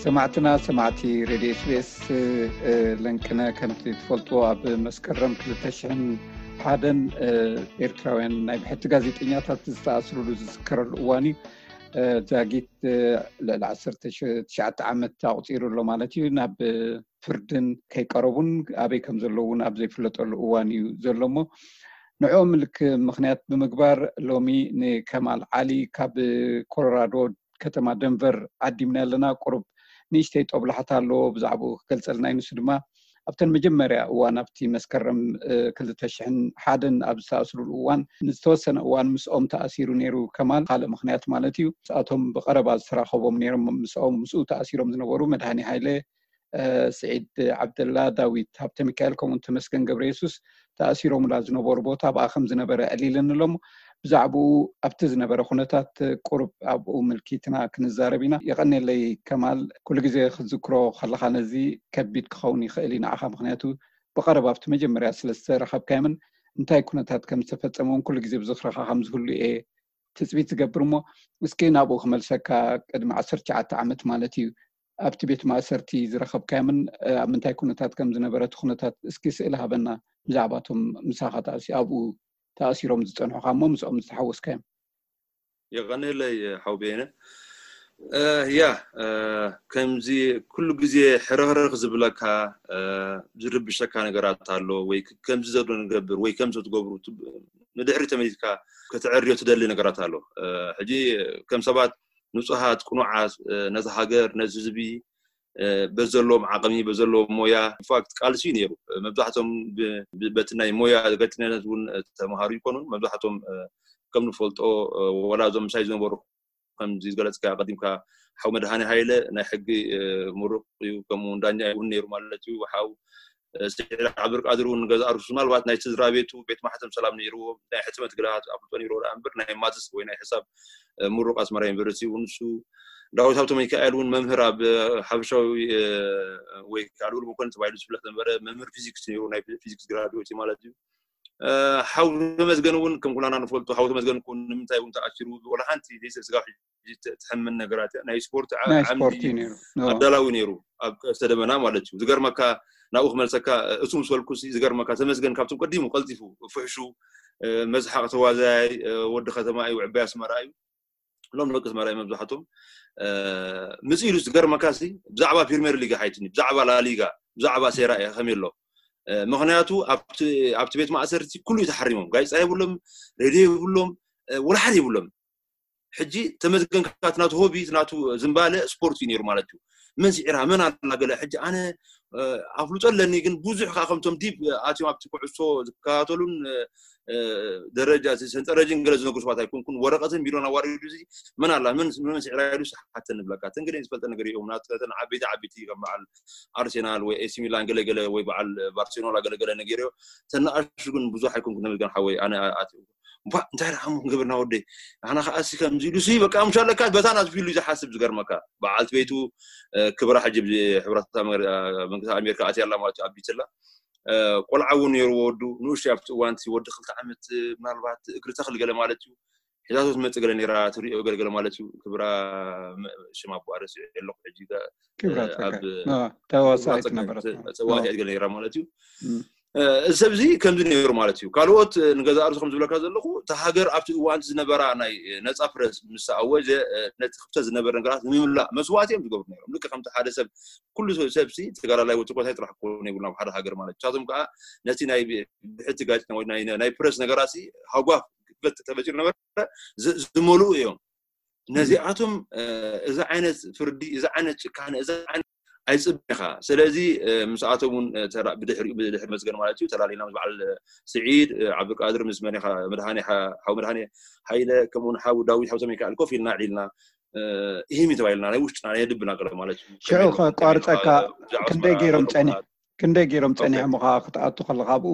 ሰማዕትና ሰማዕቲ ሬድዮ ኤስቢኤስ ለንቅነ፣ ከምቲ ትፈልጥዎ ኣብ መስከረም ክልተ ሽሕን ሓደን ኤርትራውያን ናይ ብሕቲ ጋዜጠኛታት ዝተኣስሩሉ ዝዝከረሉ እዋን እዩ። ዛጊት ልዕሊ ዓሰርተ ትሽዓተ ዓመት ኣቑፂሩ ኣሎ ማለት እዩ። ናብ ፍርድን ከይቀረቡን ኣበይ ከም ዘለዉ እውን ኣብ ዘይፍለጠሉ እዋን እዩ ዘሎ እሞ ንዕኦም ምልክ ምኽንያት ብምግባር ሎሚ ንከማል ዓሊ ካብ ኮሎራዶ ከተማ ደንቨር ዓዲምና ኣለና። ቁሩብ ንእሽተይ ጦብላሕታ ኣለዎ፣ ብዛዕባኡ ክገልጸልና እዩ። ንሱ ድማ ኣብተን መጀመርያ እዋን ኣብቲ መስከረም ክልተ ሽሕን ሓደን ኣብ ዝተኣስሩሉ እዋን ንዝተወሰነ እዋን ምስኦም ተኣሲሩ ነይሩ። ከማል ካልእ ምኽንያት ማለት እዩ። ንሳቶም ብቐረባ ዝተራኸቦም ነይሮም፣ ምስኦም ምስኡ ተኣሲሮም ዝነበሩ መድሃኒ ሃይለ፣ ስዒድ ዓብደላ፣ ዳዊት ሃብተ ሚካኤል ከምኡውን ተመስገን ገብረ የሱስ ተኣሲሮምላ ዝነበሩ ቦታ ኣብኣ ከም ዝነበረ ዕሊልኒ ኣሎ። ብዛዕባኡ ኣብቲ ዝነበረ ኩነታት ቁሩብ ኣብኡ ምልኪትና ክንዛረብ ኢና። የቐኔለይ ከማል፣ ኩሉ ግዜ ክትዝክሮ ከለኻ ነዚ ከቢድ ክኸውን ይኽእል እዩ ንዓኻ፣ ምኽንያቱ ብቐረባ ኣብቲ መጀመርያ ስለ ዝተረኸብካዮምን እንታይ ኩነታት ከም ዝተፈጸመ እውን ኩሉ ግዜ ብዝኽርኻ ከም ዝህሉ እየ ትጽቢት ዝገብር እሞ፣ እስኪ ናብኡ ክመልሰካ። ቅድሚ ዓሰርተ ትሽዓተ ዓመት ማለት እዩ፣ ኣብቲ ቤት ማእሰርቲ ዝረኸብካዮምን ኣብ ምንታይ ኩነታት ከም ዝነበረ እቲ ኩነታት እስኪ ስእሊ ሃበና። ብዛዕባቶም ምሳኻ ተኣሲ ኣብኡ ተኣሲሮም ዝጸንሑኻ እሞ ምስኦም ዝተሓወስካዮም። የቐንለይ ሓው ቤነ። ያ፣ ከምዚ ኩሉ ግዜ ሕርኽርኽ ዝብለካ፣ ዝርብሸካ ነገራት ኣሎ፣ ወይ ከምዚ ዘሎ ንገብር ወይ ከምዚ ትገብሩ፣ ንድሕሪ ተመሊስካ ከተዕርዮ ትደሊ ነገራት ኣሎ። ሕጂ ከም ሰባት ንጹሃት ቅኑዓት፣ ነዚ ሃገር ነዚ ህዝቢ በዘለዎም ዓቕሚ በዘለዎም ሞያ ኢንፋክት ቃልሲ እዩ ነይሩ። መብዛሕቶም በቲ ናይ ሞያ ጋዜጠኛነት እውን ተምሃሩ ይኮኑን። መብዛሕቶም ከም ንፈልጦ ወላ እዞም ምሳይ ዝነበሩ ከምዚ ዝገለጽካ ቀዲምካ ሓው መድሃኒ ሃይለ ናይ ሕጊ ምሩቕ እዩ፣ ከምኡ ዳኛ እውን ነይሩ ማለት እዩ። ሓው ስዒድ ዓብዱልቃድር እውን ገዛ ኣርሱ ምናልባት ናይ ስድራ ቤቱ ቤት ማሕተም ሰላም ነይርዎ፣ ናይ ሕትመት ግልሃት ኣፍልጦ ነይርዎ ደኣ እምበር ናይ ማትስ ወይ ናይ ሕሳብ ምሩቕ ኣስመራ ዩኒቨርሲቲ እውን ንሱ። ዳዊት ሃብተ ሚካኤል እውን መምህር ኣብ ሓበሻዊ ወይ ከዓ ልኡል መኮንን ተባሂሉ ዝፍለጥ ነበረ፣ መምህር ፊዚክስ ነይሩ፣ ናይ ፊዚክስ ግራድዌት ማለት እዩ። ሓው ተመስገን እውን ከም ኩላና ንፈልጦ ሓው ተመስገን እውን ንምንታይ እውን ተኣሲሩ ወላ ሓንቲ ዘይስጋብ ትሕምን ነገራት እያ። ናይ ስፖርት ዓምዲ ኣዳላዊ ነይሩ ኣብ ቀስተ ደመና ማለት እዩ። ዝገርመካ ናብኡ ክመልሰካ እሱ ምስ በልኩ ዝገርመካ ተመስገን ካብቶም ቀዲሙ ቀልጢፉ ፍሕሹ መስሓቕ ተዋዛያይ ወዲ ከተማ እዩ፣ ዕባይ ኣስመራ እዩ። ሎም ደቂ ኣስመራ እዩ መብዛሕቶም ምጽ ኢሉ ዝገርመካ ሲ ብዛዕባ ፕሪሚየር ሊግ ሓይትኒ ብዛዕባ ላሊጋ ብዛዕባ ሴራ እየ ከመይ ኣሎ ምኽንያቱ ኣብቲ ቤት ማእሰርቲ ኩሉ እዩ ተሓሪሞም፣ ጋዜጣ የብሎም፣ ሬድዮ የብሎም፣ ወላ ሓደ የብሎም። ሕጂ ተመስገን ካብቲ ናቱ ሆቢ ናቱ ዝምባለ ስፖርት እዩ ነይሩ ማለት እዩ። መን ስዒራ መን ኣላ ገለ ሕጂ ኣነ ኣፍልጦ ኣለኒ ግን ብዙሕ ከዓ ከምቶም ዲብ ኣትዮም ኣብቲ ኩዕሶ ዝከታተሉን ደረጃ ሰንጠረጅን ገለ ዝነግሩ ሰባት ኣይኮንኩን። ወረቀትን ቢሮን ኣዋሪዱ እዚ መን ኣላ መን ስዒራ ኢሉ ሓተ ንብለካ። ተን ገለ ዝፈልጠ ነገር እዮም ናተን ዓበይቲ ዓበይቲ ከም በዓል ኣርሴናል ወይ ኤሲ ሚላን ገለገለ ወይ በዓል ባርሴሎና ገለገለ ነጊረዮ። ተናኣሹ ግን ብዙሕ ኣይኮንኩን። ተመስገን ሓወይ ኣነ ኣትዩ እባ እንታይ ደኣ እሞ ክንገብር ኢና ወደይ? ኣነ ከዓ እሲ ከምዚ ኢሉ እሲ በቃ ምሻለካ በታ ናት ፊሉ እዩ ዝሓስብ። ዝገርመካ በዓልቲ ቤቱ ክብራ ሕጂ ሕብረታት መንግስታት ኣሜሪካ ኣትያ ኣላ ማለት እዩ ኣብ ቢትላ ቆልዓ እውን ነይሩ ወዱ ንእሽቶ ኣብቲ እዋን እቲ ወዲ ክልተ ዓመት ምናልባት እግሪ ተኽሊ ገለ ማለት እዩ ሒዛቶ ትመፅእ ገለ ነይራ ትሪኦ ገለገለ ማለት እዩ። ክብራ ሽም ኣቦኣ ረሲዑ ኣለኹ ሕጂ ተዋሳኢት ነበረት ተዋሳኢት ገለ ነይራ ማለት እዩ። እዚ ሰብ እዚ ከምዚ ነይሩ ማለት እዩ። ካልኦት ንገዛ ርእሱ ከም ዝብለካ ዘለኹ እታ ሃገር ኣብቲ እዋን ዝነበራ ናይ ነፃ ፕረስ ምስ ኣወጀ ነቲ ክፍተት ዝነበረ ነገራት ንምምላእ መስዋእቲ እዮም ዝገብሩ ነይሮም። ልክ ከምቲ ሓደ ሰብ ኩሉ ሰብ ሲ ተጋዳላይ ወይ ተኮታይ ጥራሕ ክኮኑ የብሉን ኣብ ሓደ ሃገር ማለት እዩ። ንሳቶም ከዓ ነቲ ናይ ብሕቲ ጋዜጠኛ ወይ ናይ ፕረስ ነገራት ሲ ሃጓፍ ክፈት ተፈጢሩ ነበረ ዝመልኡ እዮም። ነዚኣቶም እዚ ዓይነት ፍርዲ እዚ ዓይነት ጭካነ እዚ ዓይነት ኣይፅብኻ። ስለዚ ምስኣቶም እውን ብድሕሪ ብድሕሪ መስገን ማለት እዩ ተላሊና ምስ በዓል ስዒድ ዓብዱልቃድር ምስ መን ኢኻ መድሃኒ ሓው መድሃኒ ሃይለ ከምኡውን ሓው ዳዊት ሓው ተመይካኣል ኮፍ ኢልና ዕሊልና ይህሚ ተባሂልና ናይ ውሽጥና ናይ ልብና ገለ ማለት እዩ። ሽዑ ከቋርፀካ ክንደይ ገይሮም ፀኒ ክንደይ ገይሮም ፀኒሖም ኻ ክትኣቱ ከለካ ኣብኡ?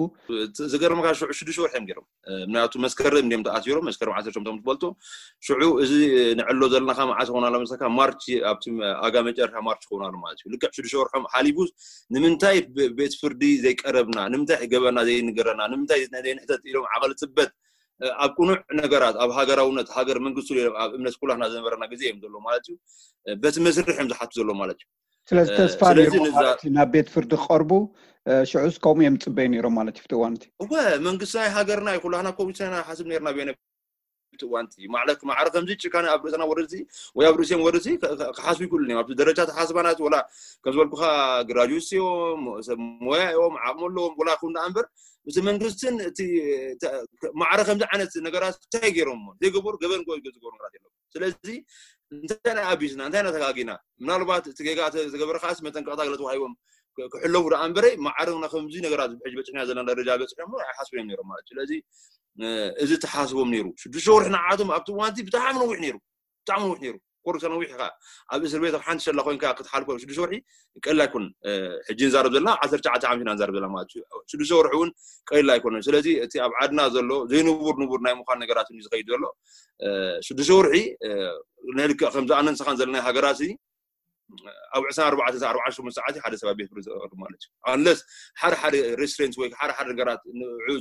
ዝገርምካ ሽዑ ሽዱሽተ ወርሒ እዮም ገይሮም። ምክንያቱ መስከረም እንዲም ተኣሲሮም መስከረም ዓሰርተ ሸሞንተ ትፈልጦ ሽዑ እዚ ንዕሎ ዘለናካ መዓስ ኾን ኣሎ መሰካ ማርች ኣብቲ ኣጋ መጨረሻ ማርች ኾን ኣሎ ማለት እዩ። ልክዕ ሽዱሽተ ወርሖም ሓሊፉ ንምንታይ ቤት ፍርዲ ዘይቀረብና ንምንታይ ገበና ዘይንገረና ንምንታይ ዘይንሕተት ኢሎም ዓቐል ፅበት ኣብ ቅኑዕ ነገራት ኣብ ሃገራውነት ሃገር መንግስቱ ኣብ እምነት ኩላህና ዝነበረና ግዜ እዮም ዘሎ ማለት እዩ። በቲ መስርሕ እዮም ዝሓቱ ዘሎ ማለት እዩ። ስለዚ እ፣ ተስፋ ስለዚ ነይሩ ንዛ- ማለት እዩ ናብ ቤት ፍርዲ ክቐርቡ። እ፣ ሽዑስ ከምኡ እዮም ዝፅበዩ ነይሮም ማለት እዩ ኣብቲ እዋን እቲ። እወ መንግስቲ ናይ ሃገርና እዩ ኩላህና ከምኡ ኢና ብየነ ኣብቲ እዋን እቲ ማለት ማዕረ ከምዚ ጭካነ ኣብ ርእሰና ወረድሲ ወይ ኣብ ርእሲኦም ወረድሲ ከ- ከ- ክሓስቡ ይክእሉ እዮም። ኣብቲ ደረጃ ተሓስባናት ወላ ከም ዝበልኩኻ ግራጁዌት እዮም፣ ሰብ ሞያ እዮም፣ ዓቕሚ ኣለዎም፣ ወላ ይኹን ደኣ እምበር እቲ መንግስትን እቲ ተ- ማዕረ ከምዚ ዓይነት ነገራት እንታይ ገይሮም ዘይገበሩ ገበን ጎ- ዝገበሩ ነገራት የለም። ስለዚ እንታይ ኢና ኣቢስና እንታይ ኢና ተጋጊና? ምናልባት እቲ ጌጋ ተ- ዝገበረ ከዓስ መጠንቀቕታ ገለ ተዋሂቦም ክ- ክሕለፉ ደኣ እምበረ ማዕረ ና ከምዚ ነገራት ሕጂ በፅሕና ዘለና ደረጃ በፅሖም ኣይሓስቡ እዮም ነይሮም ማለት እዩ። ስለዚ እ፣ እዚ ተሓስቦም ነይሩ ሽዱሽተ ወርሒ ንዓቶም ኣብቲ እዋንቲ ብጣዕሚ ነዊሕ ነይሩ። ብጣዕሚ ነዊሕ ነይሩ ኮርሰ ነዊሕ ኢኻ ኣብ እስር ቤት ኣብ ሓንቲ ሸላ ኮይንካ ክትሓልፎ ሽዱሽተ ወርሒ ቀላ ኣይኮን። ሕጂ ንዛረብ ዘለና ዓሰርተ ትሽዓተ ዓመት ኢና ንዛረብ ዘለና ማለት እዩ። ሽዱሽተ ወርሒ እውን ቀላ ኣይኮነን። ስለዚ እቲ ኣብ ዓድና ዘሎ ዘይንቡር ንቡር ናይ ምዃን ነገራት እዩ ዝኸይድ ዘሎ። ሽዱሽተ ወርሒ ናይ ልክዕ ከምዚ ኣነን ስኻን ዘለና ሃገራት ኣብ ዕስራን ኣርባዕተን ኣርባዓን ሸሞንተ ሰዓት ሓደ ሰብ ኣብ ቤት ፍርዲ ዝቐርብ ማለት እዩ። ኣንለስ ሓደ ሓደ ሬስትሬንት ወይ ሓደ ሓደ ነገራት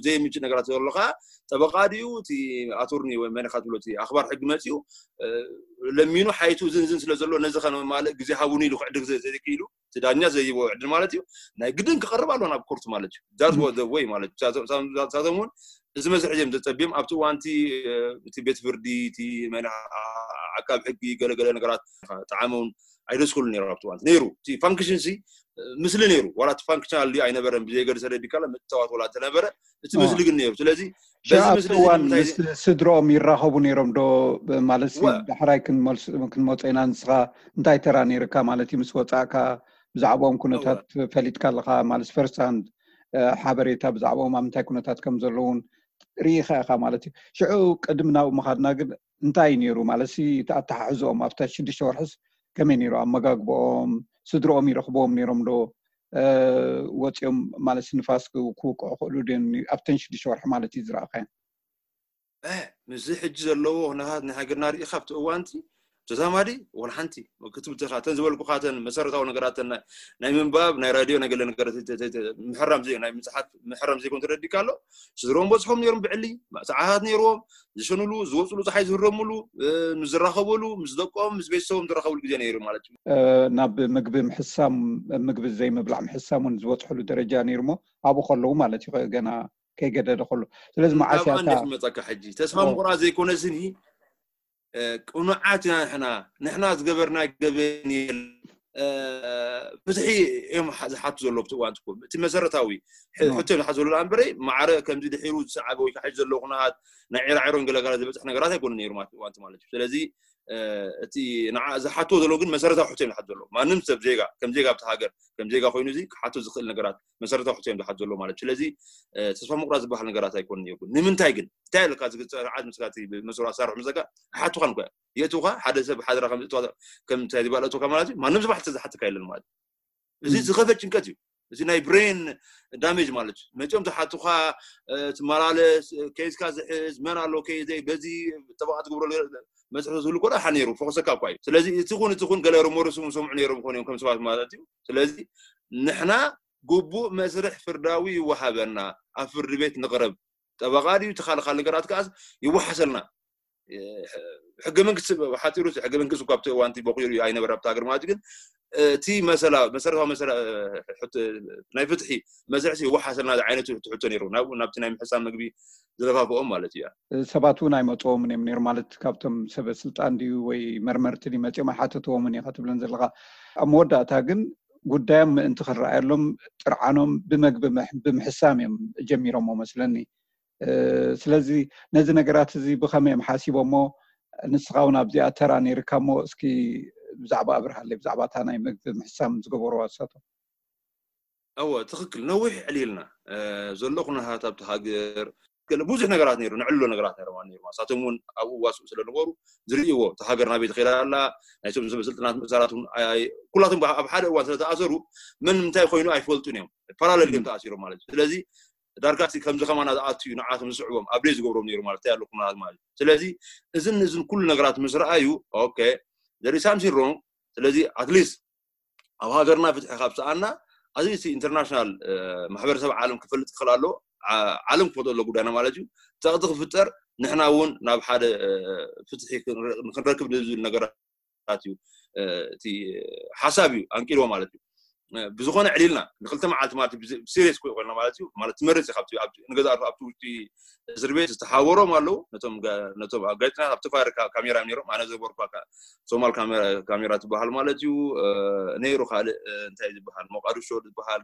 ዘይምንጭ ነገራት ዘሎ ከዓ ጠበቃ ድዩ እቲ ኣቶርኒ ወይ መን ኢኻ ትብሎ እቲ ኣኽባር ሕጊ መፅኡ ለሚኑ ሓይቱ ዝንዝን ስለ ዘሎ ነዚ ከነማልእ ግዜ ሃቡኒ ኢሉ ክዕድግ ዘይክኢሉ እቲ ዳኛ ዘይቦ ዕድል ማለት እዩ። ናይ ግድን ክቐርብ ኣሎ ናብ ኮርት ማለት እዩ። ዛዝ ወይ ማለት ሳቶም እውን እዚ መስርሕ እዮም ዘፀብዮም ኣብቲ እዋንቲ እቲ ቤት ፍርዲ እቲ መን ዓቃብ ሕጊ ገለገለ ነገራት ጣዕመውን ኣይደስክሉ ነይሩ ኣብቲ እዋንቲ ነይሩ እቲ ፋንክሽን ሲ ምስሊ ነይሩ ዋላ እቲ ፋንክሽን ኣልዩ ኣይነበረን ብዘይገድሰ ደዲካለ ምትዋት ወላ እንተነበረ እቲ ምስሊ ግን ነይሩ። ስለዚ በዚ ኣብቲ ምስሊ እዚ እዋን ንምንታይ ምስ ስድሮኦም ይራኸቡ ነይሮም ዶ? ማለት ሲ ወ- ዳሕራይ ክንመልስ- ክንመፆ ኢና። ንስኻ እንታይ ተራ ነይርካ ማለት እዩ? ምስ ወፃእካ ብዛዕባኦም ኩነታት ፈሊጥካ ኣለኻ ማለት ፈርስት ሃንድ ሓበሬታ ብዛዕባኦም ኣብ ምንታይ ኩነታት ከም ዘለውን ርኢኻ ኢኻ ማለት እዩ። ሽዑ ቅድሚ ናብኡ ምኻድና ግን እንታይ እዩ ነይሩ ማለት ሲ እቲ ኣተሓሕዝኦም ኣብታ ሽዱሽተ ወርሕስ ከመይ ነይሩ? ኣመጋግባኦም፣ ስድሮኦም ይረኽብዎም ነይሮም ዶ? እ፣ ወፂኦም ማለት ንፋስ ክው- ክውቅዑ ክእሉ ድዮም? ኣብተን ሽዱሽተ ወርሒ ማለት እዩ ዝረኣኻዮም። እ፣ ምስዚ ሕጂ ዘለዎ ኩነታት ናይ ሃገርና ርኢኻ ኣብቲ እዋንቲ ተዛማዲ ወላ ሓንቲ ክትብትኻ እተን ዝበልኩኻተን መሰረታዊ ነገራት ናይ ናይ ምንባብ ናይ ራድዮ ናይ ገለ ነገራት ተ- ተ- ተ- ምሕራም ዘይ ናይ ምፅሓፍ ምሕራም ዘይኮን ተረዲካ ኣሎ። ስድሮም በፅሖም ነይሮም ብዕሊ ሰዓታት ነይርዎም ዝሸኑሉ ዝወፅሉ ፀሓይ ዝህረሙሉ እ፣ ምስ ዝራኸበሉ ምስ ደቆም ምስ ቤተሰቦም ዝራኸብሉ ግዜ ነይሩ ማለት እዩ። እ፣ ናብ ምግቢ ምሕሳም ምግቢ ዘይምብላዕ ምሕሳም እውን ዝበፅሕሉ ደረጃ ነይሩ እሞ ኣብኡ ከለዉ ማለት እዩ ገና ከይገደደ ከሎ። ስለዚ መዓስ ናብኣ እያ እታ እንዴት መፀካ ሕጂ ተስፋ ኦ። ምቁራፅ ዘይኮነ ስኒ እ፣ ቅኑዓት ኢና ንሕና ንሕና ዝገበርና ገበን የለን እ፣ ፍትሒ እዮም ሓ- ዝሓቱ ዘሎ ኣብቲ እዋን ትኩ እቲ መሰረታዊ ሕ- ኖ። ሕቶ እዮም ዝሓቱ ዘሎ እምበረ ማዕረ ከምዚ ድሒሩ ዝሰዓበ ወይ ከዓ ሕጂ ዘለዎ ኩነታት ናይ ዒራዒሮን ገለጋለ ዝበፅሕ ነገራት ኣይኮነ ነይሩ ማለት እዋንቲ ማለት እዩ። ስለዚ እ፣ እቲ ንዓ ዝሓትዎ ዘሎ ግን መሰረታዊ ሕቶ እዮም ዝሓቱ ዘሎ ማንም ሰብ ዜጋ ከም ዜጋ ኣብቲ ሃገር ከም ዜጋ ኮይኑ እዚ ክሓቶ ዝኽእል ነገራት መሰረታዊ ሕቶ እዮም ዝሓቱ ዘሎ ማለት እዩ። ስለዚ እ፣ ተስፋ ምቁራፅ ዝበሃል ነገራት ኣይኮነ ነይሩ። ንምንታይ ግን እንታይ ኣለካ ዝግፀ ዓድ ምስካ መስሩ ኣሳርሑ ምስካ ኣይሓቱኻን እኮ የእትውኻ ሓደ ሰብ ሓደራ ከም ዝእትዋ ከም እንታይ ዝበለእትካ ማለት እዩ። ማንም ዝባሕቲ ዝሓትካ የለን ማለት እዩ። እዚ ዝኸፈ ጭንቀት እዩ። እዚ ናይ ብሬን ዳሜጅ ማለት እዩ። መፂኦም ዝሓቱኻ እ፣ ትመላለስ እ፣ ኬዝካ ዝሕዝ መን ኣሎ ከይዘይ በዚ ጠበቃ ትገብረሉ መስርሒ ዝህሉ ኮዳ ሓ ነይሩ ፎከሰካ እኳ እዩ። ስለዚ እቲ ኹን እቲ ኹን ገለ ርሞርስ እውን ሰምዑ ነይሮም ኾን እዮም ከም ሰባት ማለት እዩ። ስለዚ ንሕና ግቡእ መስርሕ ፍርዳዊ ይወሃበና ኣብ ፍርዲ ቤት ንቕረብ ጠበቃ ድዩ ተኻልኻል ነገራት ከዓስ ይወሓሰልና ሕገ መንግስቲ ሓፂሩ ሕገ መንግስቲ እኳ ኣብቲ እዋንቲ በቂሉ ኣይነበረ ኣብቲ ሃገር ማለት ግን እቲ መሰላ መሰረታዊ መሰላ ናይ ፍትሒ መስርሕሲ ይወሓሰልና ዓይነት ትሕቶ ነይሩ ናብኡ ናብቲ ናይ ምሕሳብ ምግቢ ዝለፋፍኦም ማለት እዩ። ሰባት እውን ኣይመፅዎምን እዮም ነይሩ ማለት ካብቶም ሰበ ስልጣን ድዩ ወይ መርመርቲ ድዩ መፅኦም ኣይሓተትዎምን እዩ ከትብለን ዘለካ። ኣብ መወዳእታ ግን ጉዳዮም ምእንቲ ክረኣየሎም ጥርዓኖም ብመግቢ ምሕ- ብምሕሳም እዮም ጀሚሮሞ መስለኒ። እ፣ ስለዚ ነዚ ነገራት እዚ ብኸመይ እዮም ሓሲቦሞ? ንስኻ እውን ኣብዚኣ ተራ ነይርካ እሞ እስኪ ብዛዕባ ኣብርሃለይ ብዛዕባ እታ ናይ መግቢ ምሕሳም ዝገበርዋ እሳቶም። እወ ትኽክል ነዊሕ ዕልልና እ፣ ዘሎ ኩነታት ኣብቲ ሃገር ገለ ብዙሕ ነገራት ነይሩ ንዕሎ ነገራት ነይሩ ማለት ነይሩ እሳቶም እውን ኣብኡ ዋስኡ ስለ ነበሩ ዝርእይዎ እቲ ሃገር ናበይ ትኸይዳ ኣላ ናይቶም ሰበ ስልጣናት ምእሳራት እውን ኣይ- ኩላቶም ኣብ ሓደ እዋን ስለ ተኣሰሩ መን እንታይ ኮይኑ ኣይፈልጡን እዮም ፓራለል እዮም ተኣሲሮም ማለት እዩ። ስለዚ ዳርጋ እቲ ከምዚ ከማና ዝኣቱ እዩ ንዓቶም ዝስዕቦም ኣብ ደይ ዝገብሮም ነይሩ ማለት እንታይ ኣሎ ኩነታት ማለት እዩ። ስለዚ እዝን እዝን ኩሉ ነገራት ምስ ረኣዩ ኦኬ there is something wrong ስለዚ ኣትሊስት ኣብ ሃገርና ፍትሒ ካብ ሰኣና ኣዚ እቲ ኢንተርናሽናል ማሕበረሰብ ዓለም ክፈልጥ ክኽእል ኣለዎ። ዓ- ዓለም ክፈልጦ ኣሎ ጉዳይና ማለት እዩ። ፀቕጢ ክፍጠር ንሕና እውን ናብ ሓደ እ፣ ፍትሒ ክንረ- ክንረክብ ንዝብል ነገራት እዩ። እቲ ሓሳብ እዩ ኣንቂልዎ ማለት እዩ። ብዝኾነ ዕሊልና ንክልተ መዓልቲ ማለት ብሲሪየስ ኮይና ማለት እዩ። ማለት ትመርፅ ካብቲ ንገዛ ኣብቲ ውሽጢ እስር ቤት ዝተሓወሮም ኣለዉ። ነቶም ኣጋጭና ኣብቲ ፋር ካሜራ ነሮም ኣነ ዘበርኳ ሶማል ካሜራ ትበሃል ማለት እዩ። ነይሩ ካልእ እንታይ ዝበሃል ሞቃዲሾ ዝበሃል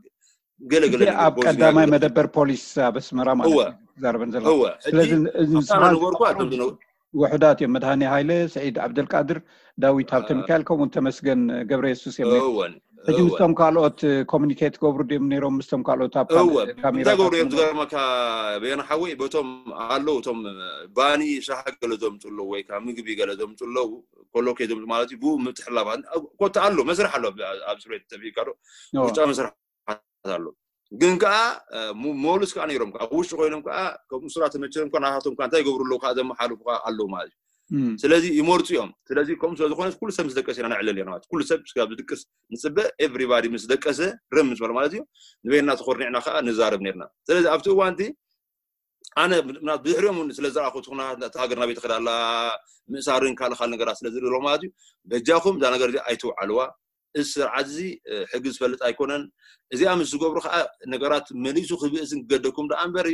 ገለ ገለ ኣብ ቀዳማይ መደበር ፖሊስ ኣብ ኣስመራ ማለት እዩ። ዘረበን ዘሎ ስለዚ ንበርኳ ውሑዳት እዮም። መድሃኒ ሃይለ፣ ስዒድ ዓብደልቃድር፣ ዳዊት ሃብተ ሚካኤል ከምኡውን ተመስገን ገብረ የሱስ እዮም። ሕጂ ምስቶም ካልኦት ኮሚኒኬት ገብሩ ድም ነይሮም ምስቶም ካልኦት ኣብ ካሜራ ገብሩ እዮም። ዝገርመካ በየና ሓወይ በቶም ኣለዉ እቶም ባኒ ሻሂ ገለ ዘምፁ ኣለዉ ወይ ከዓ ምግቢ ገለ ዘምፁ ኣለዉ። ኮሎኬ ዘምፁ ማለት እዩ። ብኡ ምትሕላባት ኮታ ኣሎ መስርሕ ኣሎ ኣብ ስሬት ተቢካ ዶ ውሽጣዊ መስርሕ ኣሎ ግን ከዓ ሞሉስ ከዓ ነይሮም ኣብ ውሽጢ ኮይኖም ከዓ ከምኡ ስራ ተመቸሮም ከዓ ናታቶም ከዓ እንታይ ይገብሩ ኣለዉ ከዓ ዘመሓልፉ ከዓ ኣለዉ ማለት እዩ። ስለዚ ይመርፁ እዮም። ስለዚ ከምኡ ስለዝኮነ ኩሉ ሰብ ምስ ደቀሰ ኢና ነዕለል ኢና ማለት ኩሉ ሰብ ስጋብ ዝድቅስ ንፅበ ኤቭሪባዲ ምስ ደቀሰ ርም ምስ በለ ማለት እዩ። ንበይና ተኮርኒዕና ከዓ ንዛረብ ነርና። ስለዚ ኣብቲ እዋንቲ ኣነ ብድሕሪኦም ስለ ዝረኣኹ እቲ ኩነታት እታ ሃገር ናበይ ትኸዳ ኣላ ምእሳርን ካልእ ካልእ ነገራት ስለ ዝርኢ ማለት እዩ። በጃኹም እዛ ነገር እዚኣ ኣይትውዓልዋ። እዚ ስርዓት እዚ ሕጊ ዝፈልጥ ኣይኮነን። እዚኣ ምስ ዝገብሩ ከዓ ነገራት መሊሱ ክብእስን ክገደኩም ደኣ እምበር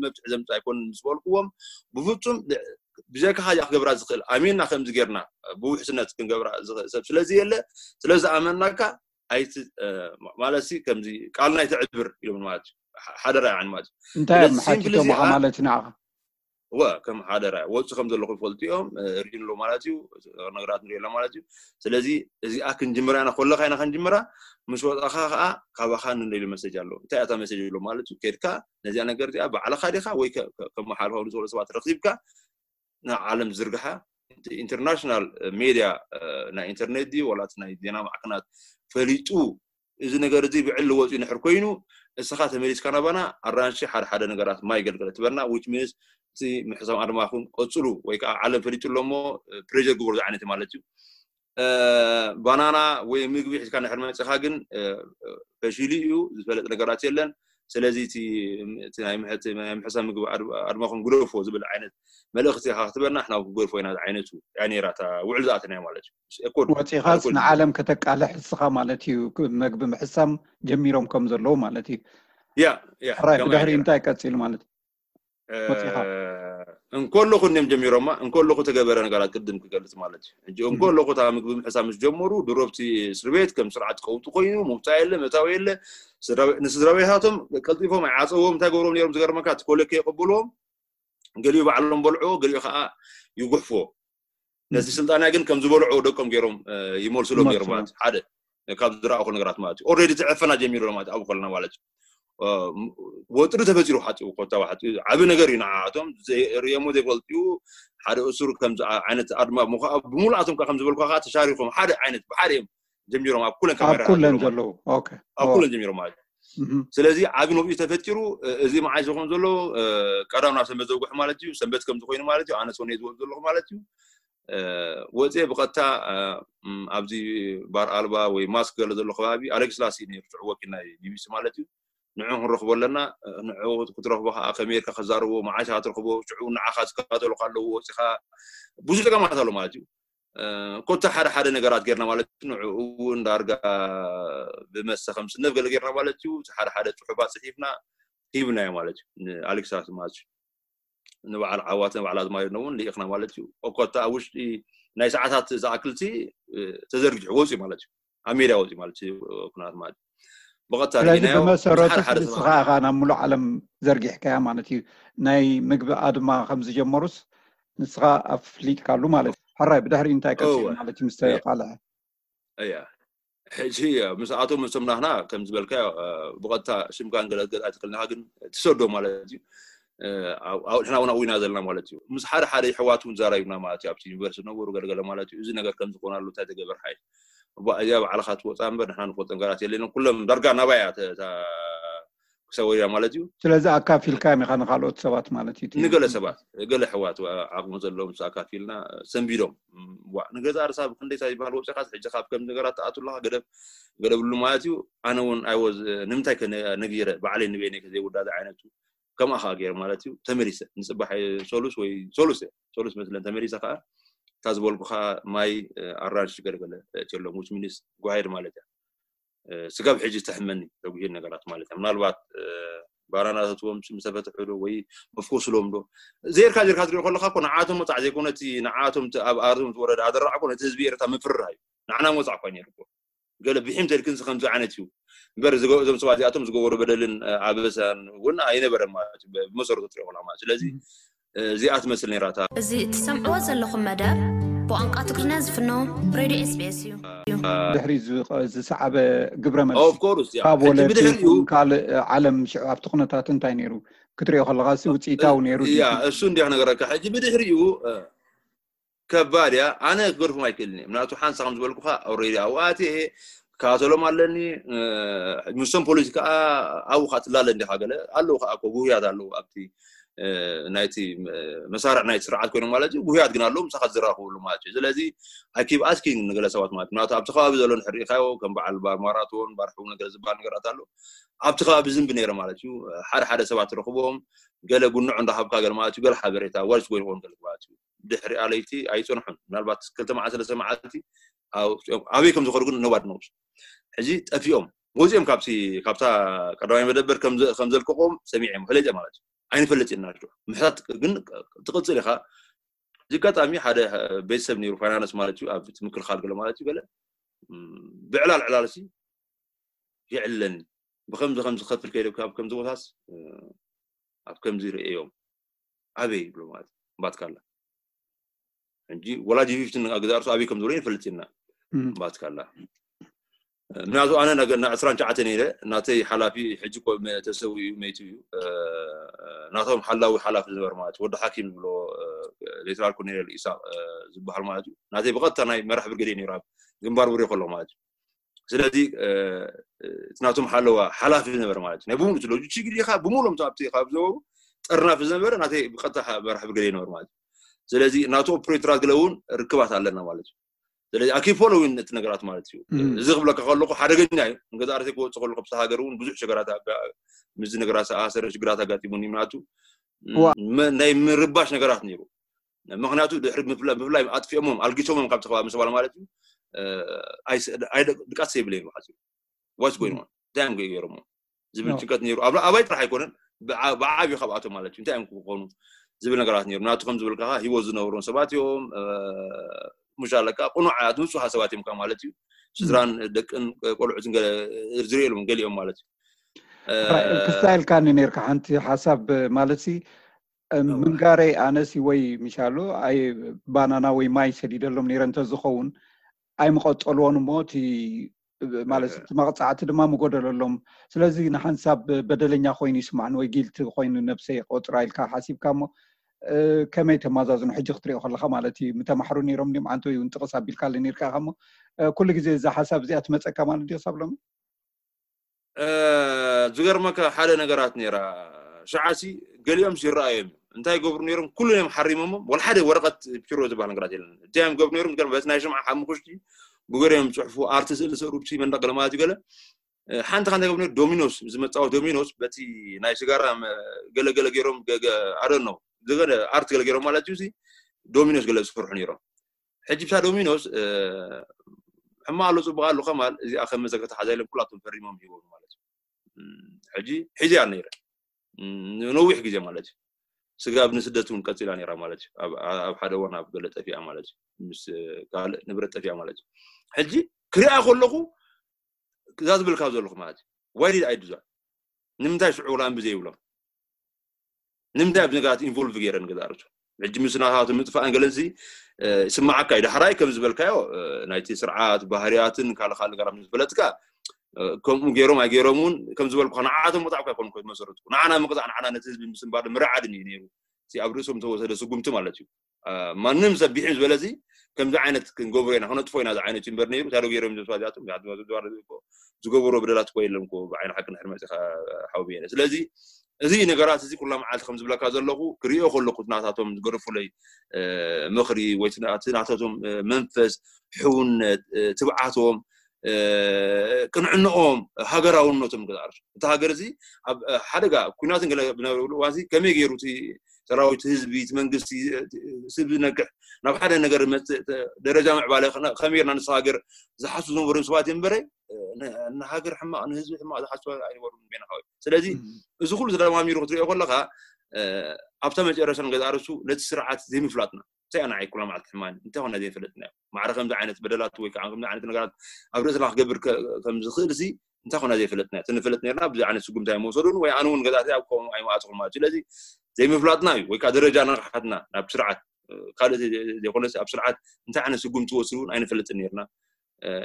መብትዒ ዘምፅእ ኣይኮነን ምስ በልኩዎም ብፍፁም ብጀካ ካዚኣ ክገብራ ዝኽእል ኣሚንና ከምዚ ጌርና ብውሕስነት ክንገብራ ዝኽእል ሰብ ስለዚ የለ ስለዝኣመንናካ ኣይቲ ማለት ሲ ከምዚ ቃልና ኣይተዕብር ኢሎም ማለት እዩ። ሓደራ ይዓኒ ማለት እዩ። እንታይ እዮም ሓቲቶምኻ ማለት ንዓኻ? እወ ከም ሓደራ ወፂ ከም ዘለኹ ይፈልጡ እዮም። ሪኢን ኣሎ ማለት እዩ። ነገራት ንሪኢ ኣሎ ማለት እዩ። ስለዚ እዚኣ ክንጅምራ ኢና ከለካ ኢና ክንጅምራ ምስ ወፃኻ ከዓ ካባኻ ንደልዩ መሰጅ ኣሎ። እንታይ እታ መሰጅ ኣሎ ማለት እዩ። ከድካ ነዚኣ ነገር እዚኣ ባዕልኻ ዲኻ ወይ ከመሓልፋ ንዝበሉ ሰባት ረኺብካ ንዓለም ዝርግሓ ኢንተርናሽናል ሜድያ ናይ ኢንተርኔት ድዩ ዋላ እቲ ናይ ዜና ማዕከናት ፈሊጡ እዚ ነገር እዚ ብዕሊ ወፂኡ ንሕር ኮይኑ እስኻ ተመሊስካ ናባና ኣራንሺ ሓደ ሓደ ነገራት ማይ ገልገለ ትበልና which means እቲ ምሕሳም ኣድማኹም ቀፅሉ ወይ ከዓ ዓለም ፈሊጡ ኣሎ እሞ ፕሬር ግበሩ ዝዓይነት ማለት እዩ። ባናና ወይ ምግቢ ሒዝካ ንሕር መፅኻ ግን ፈሺሉ እዩ ዝፈለጥ ነገራት የለን። ስለዚ እቲ ናይ ምሕሳብ ምግቢ ኣድማኹም ግደፎ ዝብል ዓይነት መልእኽቲ ኢኻ ክትበና ንሕና ክንገድፎ ኢና ዝዓይነቱ እያ ነይራ እታ ውዕል ዝኣተናዮ ማለት እዩ። ወፂኻስ ንዓለም ከተቃልሕ እስኻ ማለት እዩ። መግቢ ምሕሳም ጀሚሮም ከም ዘለዉ ማለት እዩ። ያ ራይ ብድሕሪ እንታይ ቀፂሉ ማለት እዩ? ወፂኻ እንከለኹ እኒም ጀሚሮማ እንከለኹ ተገበረ ነገራት ቅድም ክገልፅ ማለት እዩ። ሕጂ እንከለኹ እታ ምግቢ ምሕሳብ ምስ ጀመሩ ድሮ ኣብቲ እስር ቤት ከም ስርዓት ቀውጢ ኮይኑ ምውፃእ የለ መታዊ የለ። ንስድራ ቤታቶም ቀልጢፎም ኣይዓፀዎም እንታይ ገብሮም ነይሮም ዝገርመካ እቲ ኮለኬ የቀብልዎም ገሊኡ ባዕሎም በልዕዎ ገሊኡ ከዓ ይጉሕፍዎ። ነዚ ስልጣንያ ግን ከም ዝበልዑ ደቆም ገይሮም ይመልስሎም ነይሩ ማለት ሓደ ካብ ዝረኣኹ ነገራት ማለት እዩ። ኦልሬዲ እቲ ዕፈና ጀሚሩ ማለት ኣብኡ ከለና ማለት እዩ። ወጥሪ ተፈጢሩ ሓፂኡ ኮታ ሓፂኡ ዓቢ ነገር እዩ ንዓኣቶም ርእየሞ ዘይፈልጥዩ ሓደ እሱር ከም ዓይነት ኣድማ ምኳ ብሙሉኣቶም ከም ዝበልኳ ከዓ ተሻሪኮም ሓደ ዓይነት ብሓደ እዮም ጀሚሮም ኣብ ኩለን ኣብ ካሜራ ኩለን ዘለዉ ኦኬ ኣብ ኩለን ጀሚሮም ማለት እዩ። ስለዚ ዓቢ ነብዩ ተፈጢሩ እዚ መዓይ ዝኸውን ዘሎ ቀዳም ናብ ሰንበት ዘውግሑ ማለት እዩ። ሰንበት ከም ዝኾይኑ ማለት እዩ። ኣነ ሰውነ ዝወ ዘለኹ ማለት እዩ። ወፅየ ብቐጥታ ኣብዚ ባር ኣልባ ወይ ማስክ ገለ ዘሎ ከባቢ ኣሌክስ ላሲ ነይሩ ሽዑ ወኪል ናይ ቢቢሲ ማለት እዩ። ንዑ ክንረኽቦ ኣለና። ንዑ ክትረኽቦ ከዓ ከመይ ጌርካ ከዛርቦ መዓሻ ክትረኽቦ ሽዑ ንዓኻ ዝከታተሉካ ኣለዉ ወፂኻ ብዙ ፀገማት ኣሎ ማለት እዩ። ኮታ ሓደ ሓደ ነገራት ጌርና ማለት እዩ። ንዕኡ እውን ዳርጋ ብመሰ ከም ስነፍ ገለ ጌርና ማለት እዩ። ሓደ ሓደ ፅሑፋት ፅሒፍና ሂብናዮ ማለት እዩ። ንኣሌክስ ላሲ ማለት እዩ። ንበዓል ዓዋተ በዓል ኣዝማሪኖ እውን ልኢኽና ማለት እዩ። ኮታ ኣብ ውሽጢ ናይ ሰዓታት ዝኣክልቲ ተዘርጊሑ ወፅዩ ማለት እዩ። ኣብ ሜዳ ወፅዩ ማለት እዩ። ኩናት ማለት ብቐጥታ ስለዚ ርኢናዮ። ብመሰረቱ ሓደ ንስኻ ኢኻ ናብ ሙሉእ ዓለም ዘርጊሕካያ ማለት እዩ። ናይ ምግቢ ኣድማ ከም ዝጀመሩስ ንስኻ ኣፍሊጥካሉ ማለት እዩ። ሕራይ ብድሕሪ እንታይ ቀፂሉ ማለት እዩ ምስ ተቃልዐ? እያ ሕጂ ምስኣቶም ምስቶም ናህና ከም ዝበልካዮ ብቐጥታ ሽምካን ገለገል ኣይትክልናካ ግን ትሰዶ ማለት እዩ። ንሕና እውን ኣዊና ዘለና ማለት እዩ። ምስ ሓደ ሓደ ይሕዋት እውን ዛራዩና ማለት እዩ። ኣብቲ ዩኒቨርሲቲ ነበሩ ገለገለ ማለት እዩ። እዚ ነገር ከም ዝኾነ ኣሎ እንታይ ተገበር ሓይ እዚኣ ባዕልካ ትወፃ እምበር ንሕና ንፈልጦ ነገራት የለና። ኩሎም ዳርጋ ናባያ ክሰወያ ማለት እዩ። ስለዚ ኣካፊልካ ኢኻ ንካልኦት ሰባት ማለት እዩ። ንገለ ሰባት ገለ ሕዋት ዓቕሚ ዘለዎም ምስ ኣካፊልና ሰንቢዶም ዋ ንገዛ ርሳ ብክንደይ ሳ ይበሃል ወፂኻስ ሕጂ ካብ ከም ነገራት ትኣቱ ኣለካ ገደብ ገደብሉ ማለት እዩ። ኣነ እውን ኣይወዝ ንምንታይ ነጊረ ባዕለይ ንበይነይ ከዘይውዳእ ዝዓይነቱ ከምኣ ከዓ ገይረ ማለት እዩ። ተመሊሰ ንፅባሕ ሰሉስ ወይ ሰሉስ ሰሉስ መስለን ተመሊሰ ከዓ እታ ዝበልኩኻ ማይ ኣራንሽ ገለገለ እትየሎም which means ጓሄድ ማለት እያ። ስጋብ ሕጂ ተሕመኒ ተጉሂድ ነገራት ማለት እያ። ምናልባት ባናና ተትዎም ምስ ተፈትሑ ዶ ወይ መፍኮስሎም ዶ ዜርካ ዜርካ ትሪኦ ከለካ እኮ ንዓቶም መፃዕ ዘይኮነ እቲ ንዓቶም ኣብ ኣርዞም ዝወረደ ኣደራዕ እኮ ነቲ ህዝቢ ኤርትራ ምፍርራህ እዩ። ንዓና መፃዕ እኳ ነይሩ እኮ ገለ ብሒም ተልክን ከምዚ ዓይነት እዩ እምበር እዞም ሰባት እዚኣቶም ዝገበሩ በደልን ኣበሳን እውን ኣይነበረ ማለት እዩ። ብመሰረቱ ትሪኦ ከለካ ማለት ስለዚ እዚኣ ትመስል ነይራ እታ። እዚ እትሰምዕዎ ዘለኹም መደብ ብቋንቋ ትግርኛ ዝፍኖ ሬድዮ ኤስቢኤስ እዩ። ድሕሪ ዝሰዓበ ግብረ መልሲ ካብ ወለቲ ካልእ ዓለም ሽዑ ኣብቲ ኩነታት እንታይ ነይሩ ክትሪኦ ከለካ ሲ ውፅኢታዊ ነይሩ እሱ እንዲያ ክነገረካ ሕጂ ብድሕሪኡ ከባድ እያ። ኣነ ክገድፎም ኣይክእልን እየ ምክንያቱ ሓንሳ ከም ዝበልኩካ ኦሬዲ ኣብኡ ኣትየ ካቶሎም ኣለኒ። ምስቶም ፖሊስ ከዓ ኣብኡ ከዓ ትላለ እንዲካ ገለ ኣለዉ ከዓ እኮ ጉህያት ኣለዉ ኣብቲ ናይቲ መሳርዕ ናይቲ ስርዓት ኮይኖም ማለት እዩ። ጉህያት ግን ኣለዉ ምሳካ ዝራኽብሉ ማለት እዩ። ስለዚ I keep asking ንገለ ሰባት ማለት ምክንያቱ ኣብቲ ከባቢ ዘሎ ንሕር ሪኢካዮ ከም በዓል ባር ማራቶን ባር ሕው ነገር ዝበሃል ነገራት ኣሎ። ኣብቲ ከባቢ ዝንቢ ነይረ ማለት እዩ። ሓደ ሓደ ሰባት ትረኽቦም ገለ ጉንዖ እንዳሃብካ ገለ ማለት እዩ። ገለ ሓበሬታ ዋልስ ጎይንኾን ገለ ማለት እዩ። ድሕሪኣ ለይቲ ኣይፀንሑን ምናልባት ክልተ መዓልቲ ሰለስተ መዓልቲ ኣበይ ከም ዝኸዱ ግን ነባድ ነውስ ሕዚ ጠፊኦም ወፂኦም ካብቲ ካብታ ቀዳማይ መደበር ከም ዘልቀቆም ሰሚዐ ፈለጠ ማለት እዩ። ኣይንፈልጥ ኢና ምሕታት ግን ትቅፅል ኢኻ። እዚ ኣጋጣሚ ሓደ ቤተሰብ ነይሩ ፋይናንስ ማለት እዩ ኣብ ምክልኻል ገለ ማለት እዩ ገለ ብዕላል ዕላል ሲ ይዕለኒ ብከምዚ ከምዚ ከፍል ከይደ ኣብ ከምዚ ቦታስ ኣብ ከምዚ ርእዮም ኣበይ ይብሎ ማለት ባትካላ ሕጂ ወላጅ ፊፍትን ኣገዛርሱ ኣበይ ከም ዝብሎ ይፈልጥ ኢና ባትካላ ምክንያቱ ኣነ ዕስራን ትሽዓተን ነይረ ናተይ ሓላፊ ሕጂ ተሰዊኡ መይቱ እዩ ናቶም ሓላዊ ሓላፊ ዝነበር ማለት ወዲ ሓኪም ዝብሎ ሌተናል ኮሎኔል ኢሳቅ ዝበሃል ማለት እዩ ናተይ ብቀጥታ ናይ መራሕ ብርገዴ ነይሩ ኣብ ግንባር ውሪ ከሎ ማለት እዩ ስለዚ እቲ ናቶም ሓለዋ ሓላፊ ዝነበረ ማለት እዩ ናይ ብምሉእ እቲ ሎጂስቲክ ዲኻ ብምሉኦም ኣብቲ ካብ ዝነበሩ ጠርናፊ ዝነበረ ናተይ ብቀጥታ መራሕ ብርገዴ ነበር ማለት እዩ ስለዚ ናቱ ኦፕሬተራት ገለ እውን ርክባት ኣለና ማለት እዩ ስለዚ ኣኪ ፎሎዊን እቲ ነገራት ማለት እዩ እዚ ክብለካ ከለኩ ሓደገኛ እዩ ንገዛ ርሴ ክወፅእ ከለኩ ኣብቲ ሃገር እውን ብዙሕ ሽግራት ምስ ነገራት ኣሰረ ሽግራት ኣጋጢሙኒ ምናቱ ናይ ምርባሽ ነገራት ነይሩ ምክንያቱ ድሕሪ ምፍላይ ኣጥፊኦሞም ኣልጊሶሞም ካብቲ ከባቢ ምሰባል ማለት እዩ ድቃስ የብለይ ማለት እዩ ዋስ ጎይን እንታይ እዮም ገይሮሞ ዝብል ጭንቀት ነይሩ ኣባይ ጥራሕ ኣይኮነን ብዓብዩ ካብኣቶም ማለት እዩ እንታይ እዮም ክኾኑ ዝብል ነገራት ነይሩ ናቱ ከም ዝብል ከዓ ሂወት ዝነብሮም ሰባት እዮም ሙሽ ኣለካ ቅኑዓት ንፁሃ ሰባት እዮም ማለት እዩ ስድራን ደቅን ቆልዑትን ዝርእየሎም ገሊኦም ማለት እዩ ክስታይልካኒ ነርካ ሓንቲ ሓሳብ ማለት ምንጋረይ ኣነሲ ወይ ምሻሉ ኣይ ባናና ወይ ማይ ሰዲደሎም ነይረ እንተዝኸውን ኣይምቐጠልዎን እሞ እቲ ማለት እቲ መቕፃዕቲ ድማ ምጎደለሎም ስለዚ ንሓንሳብ በደለኛ ኮይኑ ይስማዕን ወይ ጊልቲ ኮይኑ ነብሰይ ቆፅራ ኢልካ ሓሲብካ እሞ ከመይ ተማዛዝኑ ሕጂ ክትሪኦ ከለካ ማለት እዩ ምተማሕሩ ነይሮም ድም ዓንተ ወይ እውን ጥቕስ ኣቢልካለ ነርካ ኢኻ እሞ ኩሉ ግዜ እዛ ሓሳብ እዚኣ ትመፀካ ማለት ድዩ ክሳብ ሎሚ ዝገርመካ ሓደ ነገራት ነራ ሸዓሲ ገሊኦም ይረኣዮም እዮም እንታይ ገብሩ ነሮም ኩሉ እዮም ሓሪሞሞም ወላ ሓደ ወረቀት ፒሮ ዝበሃል ነገራት የለን እንታይ እዮም ገብሩ ነሮም ገርም በቲ ናይ ሽምዓ ሓሙክሽቲ ብገሪኦም ፅሑፉ ኣርቲ ስእሊ ሰሩ ብሲ መንደቅ ገለ ማለት እዩ ገለ ሓንቲ ካንታ ገብሩ ዶሚኖስ ዝመፃወት ዶሚኖስ በቲ ናይ ሽጋራ ገለገለ ገይሮም ኣደን ነው ዝገለ ኣርት ገለ ገይሮም ማለት እዩ ዶሚኖስ ገለ ዝሰርሑ ነሮም ሕጂ ብታ ዶሚኖስ ሕማቅ ኣሎ ፅቡቅ ኣሎ ከማል እዚኣ ከም መዘከርታ ሓዛ ኢሎም ኩላቶም ፈሪሞም ሂቦም ማለት እዩ ሕጂ ሒዚያ ነይረ ነዊሕ ግዜ ማለት እዩ ስጋብ ንስደት እውን ቀፂላ ነራ ማለት እዩ ኣብ ሓደ ወን ኣብ ገለ ጠፊኣ ማለት እዩ ምስ ካልእ ንብረት ጠፊኣ ማለት እዩ ሕጂ ክሪኣ ከለኩ እዛ ዝብልካ ዘለኹ ማለት እዩ why did I do that ንምንታይ ሽዑ ላምቢ ዘይብሎም ንምንታይ ኣብ ነገራት ኢንቮልቭ ገይረ ንገዛ ርእሱ ሕጂ ምስ ናታቱ ምጥፋእን ገለንሲ ይስማዓካ እዩ ዳሕራይ ከም ዝበልካዮ ናይቲ ስርዓት ባህርያትን ካልእ ካልእ ነገራት ምስ ፈለጥካ ከምኡ ገይሮም ኣይገይሮም እውን ከም ዝበልኩ ንዓቶም መጣዕካ ይኮኑ ኮይኑ መሰረቱ ንዓና ምቅፃዕ ንዓና ነቲ ህዝቢ ምስንባር ምርዓድን እዩ ነይሩ ኣብ ርእሶም ተወሰደ ስጉምቲ ማለት እዩ ማንም ሰብ ቢሒም ዝበለዚ ከምዚ ዓይነት ክንገብሮ ኢና ክነጥፎ ኢና ዝዓይነት እዩ እምበር ነይሩ ታዶ ገይሮም ዘስዋዚኣቶም ዝገበሮ በደላት እኮ የለን እኮ ብዓይኒ ሓቂ ንሕር መፂኻ ሓውብየ ስለዚ እዚ ነገራት እዚ ኩላ መዓልቲ ከም ዝብለካ ዘለኹ ክሪኦ ከለኩ ናታቶም ዝገደፉለይ ምኽሪ ወይ ናታቶም መንፈስ ሕውነት ትብዓቶም ቅንዕንኦም ሃገራውነቶም ገዛርሱ እቲ ሃገር እዚ ኣብ ሓደጋ ኩናትን ገለ ብነበረሉ እዋንዚ ከመይ ገይሩ እቲ ሰራዊት፣ ህዝቢ፣ እቲ መንግስቲ፣ ስብ ዝነግሕ ናብ ሓደ ነገር መፅእ ደረጃ ምዕባለ ከመይ ጌርና ንስኻ ሃገር ዝሓስቡ ዝነበሩ ሰባት እዮም እምበረ ንሃገር ሕማቕ ንህዝቢ ሕማቕ ዝሓስቡ ኣይነበሩን ቤና ሓወይ። ስለዚ እዚ ኩሉ ተደማሚሩ ክትሪኦ ከለካ ኣብታ መጨረሻ ንገዛ ርእሱ ነቲ ስርዓት ዘይምፍላጥና እንታይ ኣና ዓይኩላ ማለት ሕማኒ እንታይ ኮና ዘይፈለጥና ማዕረ ከምዚ ዓይነት በደላት ወይ ከዓ ከምዚ ዓይነት ነገራት ኣብ ርእስና ክገብር ከም ዝኽእል ሲ እንታይ ኮና ዘይፈለጥና ተንፈለጥ ነርና ብዚ ዓይነት ስጉምታ ኣይመወሰዱን ወይ ኣነ እውን ገዛእቲ ኣብ ከምኡ ኣይመኣፅኹን ማለት ስለዚ ዘይምፍላጥና እዩ ወይ ከዓ ደረጃ ንቕሓትና ናብ ስርዓት ካልእ ዘይኮነስ ኣብ ስርዓት እንታይ ዓይነት ስጉምቲ ወስዱ እውን ኣይንፈልጥን ነርና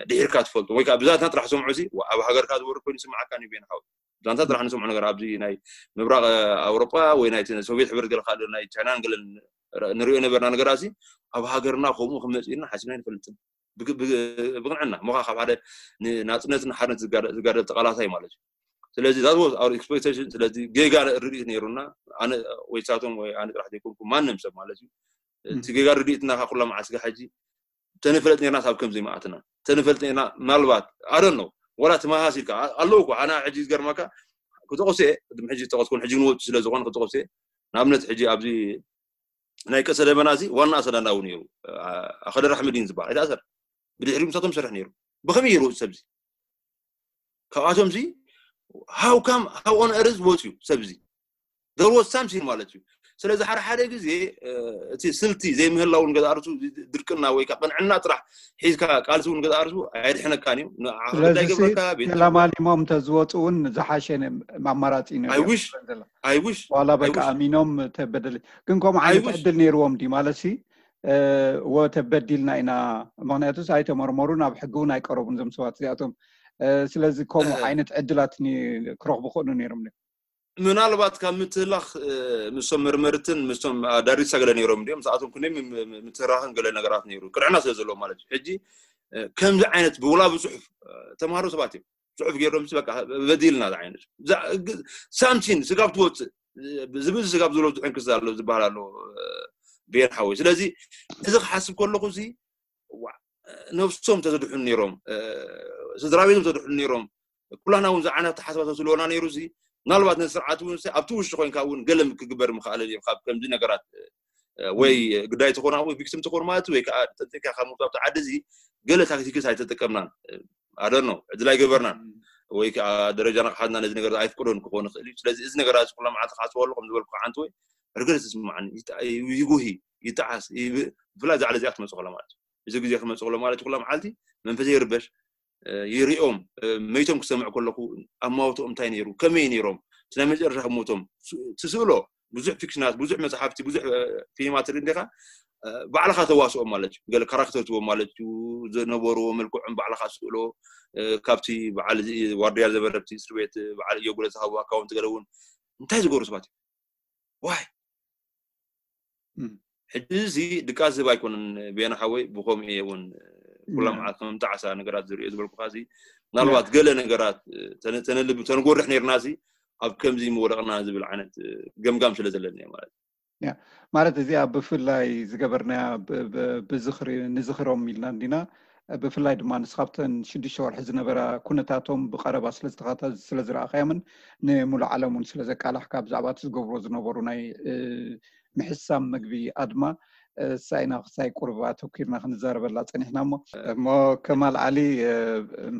ድሒርካ ትፈልጦ ወይ ከዓ ብዛትና ጥራሕ ሰምዑ ሲ ኣብ ሃገርካ ዝወርድ ኮይኑ ይስማዓካ እዩ ቤን ሓው ዛንታ ጥራሕ ንሰምዑ ነገር ኣብዚ ናይ ምብራቅ ኣውሮጳ ወይ ናይ ሶቪየት ሕብረት ገለ ካልእ ናይ ቻይናን ገለን ንሪኦ ነበርና ነገራት ሲ ኣብ ሃገርና ከምኡ ክመፅእና ሓሲብና ኣይንፈልጥን ብቅንዕና ሞኻ ካብ ሓደ ናፅነትን ሓርነት ዝጋደል ተቃላሳይ ማለት እዩ ስለዚ that was our expectation ስለዚ ጌጋ ርድኢት ነይሩና ኣነ ወይ ሳቶም ወይ ኣነ ጥራሕ ዘይኮንኩ ማንም ሰብ ማለት እዩ እቲ ጌጋ ርድኢትና ካብ ኩላ መዓስጋ ሕጂ ተንፈልጥ ነርና ካብ ከምዚ መኣትና ተንፈልጥ ነርና ምናልባት ኣደን ነው ወላ ትመሃስ ኢልካ ኣለውኩ ኣና ሕጂ ዝገርመካ ክጠቕሶ እየ ቅድሚ ሕጂ ዝጠቐስኩን ሕጂ ንወጡ ስለ ዝኾነ ክጠቕሶ እየ ንኣብነት ሕጂ ኣብዚ ናይ ቀሰ ደመና እዚ ዋና ኣሰዳዳዊ ነይሩ ኣኸደ ራሕምዲን ዝበሃል ኣይተኣሰር ብድሕሪ ምሳቶም ሰርሕ ነይሩ ብኸመይ ይሩ ሰብዚ ካብኣቶም ዚ how come how on earth ወፅዩ ሰብዚ there was something ማለት እዩ ስለዚ ሓደ ሓደ ግዜ እቲ ስልቲ ዘይምህላው ንገዛ ርእሱ ድርቅና ወይ ቅንዕና ጥራሕ ሒዝካ ቃልሲ እውን ገዛ ርእሱ ኣየድሕነካን እዩ ስለዚ ተላማሊሞም እንተዝወፁ እውን ዝሓሸ ኣማራፂ ኣይውሽ ዋላ በቃ ኣሚኖም ተበደል ግን ከምኡ ዓይነት ዕድል ነይርዎም ዲ ማለት ሲ ወተበዲልና ኢና ምክንያቱስ ኣይተመርመሩን ኣብ ሕጊ እውን ኣይቀረቡን ዞም ሰባት እዚኣቶም ስለዚ ከምኡ ዓይነት ዕድላት ክረኽቡ ክእሉ ነይሮም ምናልባት ካብ ምትህላኽ ምስቶም መርመርትን ምስቶም ኣዳሪሳ ገለ ነይሮም እንዲኦም ምስኣቶም ኩነ ምትህራኽን ገለ ነገራት ነይሩ ቅርዕና ስለ ዘለዎ ማለት እዩ ሕጂ ከምዚ ዓይነት ብውላ ብፅሑፍ ተምሃሮ ሰባት እዮም ፅሑፍ ገይሮም በቃ በዲልና ዓይነት ሳምሲን ስጋብ ትወፅእ ዝብዚ ስጋብ ዘሎ ዝሕንክስ ኣሎ ዝበሃል ኣሎ ቤን ሓወይ ስለዚ እዚ ክሓስብ ከለኹ ሲ ነብሶም ተዝድሕኑ ነይሮም ስድራ ቤቶም ተድሕኑ ነይሮም ኩላና እውን ዝዓይነት ተሓስባቶ ስለሆና ነይሩ ሲ ምናልባት ነዚ ስርዓት እውን ኣብቲ ውሽጢ ኮይንካ እውን ገለ ክግበር ምክኣለ ካብ ከምዚ ነገራት ወይ ግዳይ ትኾና ወይ ቪክቲም ትኾኑ ማለት ወይ ከዓ ጠንጢካ ካብ ምውፃእ ዓዲ እዚ ገለ ታክቲክስ ኣይተጠቀምናን ኣደኖ ዕድል ኣይገበርናን ወይ ከዓ ደረጃ ንቕሓትና ነዚ ነገር ኣይፍቅዶን ክኾን ይኽእል እዩ ስለዚ እዚ ነገር እዚ ኩላ መዓልቲ ክሓስበሉ ከም ዝበልኩ ሓንቲ ወይ ርግር ዝስማዓኒ ይጉሂ ይጠዓስ ብፍላይ ዛዕለ እዚኣ ትመፅእ ከላ ማለት እዩ እዚ ግዜ ክመፅእ ከሎ ማለት ኩላ መዓልቲ መንፈሰ ይርበሽ ይሪኦም መይቶም ክሰምዕ ከለኹ ኣማውትኦም እንታይ ነይሩ ከመይ ነይሮም እቲ ናይ መጨረሻ ክሞቶም ትስእሎ ብዙሕ ፊክሽናት ብዙሕ መፅሓፍቲ ብዙሕ ፊልማት ርኢ እንዲኻ ባዕልኻ ተዋስኦም ማለት እዩ ገለ ካራክተር ትቦም ማለት እዩ ዝነበርዎ መልክዖም ባዕልኻ ስእሎ ካብቲ በዓል ዋርድያ ዘበረብቲ እስር ቤት በዓል እዮ ጉለ ዝሃቡ ኣካውንት ገለ እውን እንታይ ዝገብሩ ሰባት እዩ ዋይ ሕጂ እዚ ድቃስ ዝህብ ኣይኮነን ቤና ሓወይ ብከምኡ እየ እውን ኩላ መዓት ከም ጣዕሳ ነገራት ዝሪኦ ዝበልኩካ እዚ ምናልባት ገለ ነገራት ተነልብ ተንጎርሕ ነርና እዚ ኣብ ከምዚ ምወደቕና ዝብል ዓይነት ገምጋም ስለ ዘለኒ ማለት ማለት እዚኣ ብፍላይ ዝገበርናያ ብዝኽሪ ንዝኽሮም ኢልና እንዲና ብፍላይ ድማ ንስኻብተን ሽዱሽተ ወርሒ ዝነበራ ኩነታቶም ብቐረባ ስለዝተኸታተል ስለዝረኣኻዮምን ንሙሉእ ዓለም እውን ስለዘቃላሕካ ብዛዕባ እቲ ዝገብሮ ዝነበሩ ናይ ምሕሳም ምግቢ ኣድማ ሳይና ክሳይ ቁርብ ኣተኪርና ክንዛረበላ ፀኒሕና እሞ እሞ ከማል ዓሊ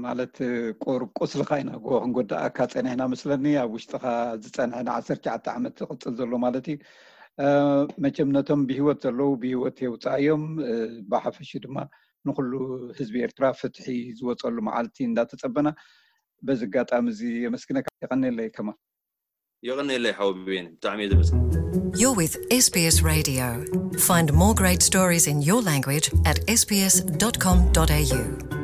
ማለት ቁርብ ቁስልካ ኢና ጎ ክንጎዳእካ ፀኒሕና መስለኒ ኣብ ውሽጥካ ዝፀንሐ ንዓሰርተ ትሽዓተ ዓመት ዝቅፅል ዘሎ ማለት እዩ መቸም ነቶም ብሂወት ዘለዉ ብሂወት የውፃእዮም ብሓፈሹ ድማ ንኩሉ ህዝቢ ኤርትራ ፍትሒ ዝወፀሉ መዓልቲ እንዳተፀበና በዚ ኣጋጣሚ እዚ የመስግነካ የቀኒለይ ከማል የቐነየለይ ሓወ ብቤን ብጣዕሚ እየ ዘመስግን You're with S B S Radio. Find more great stories in your language at S B S dot com dot A U.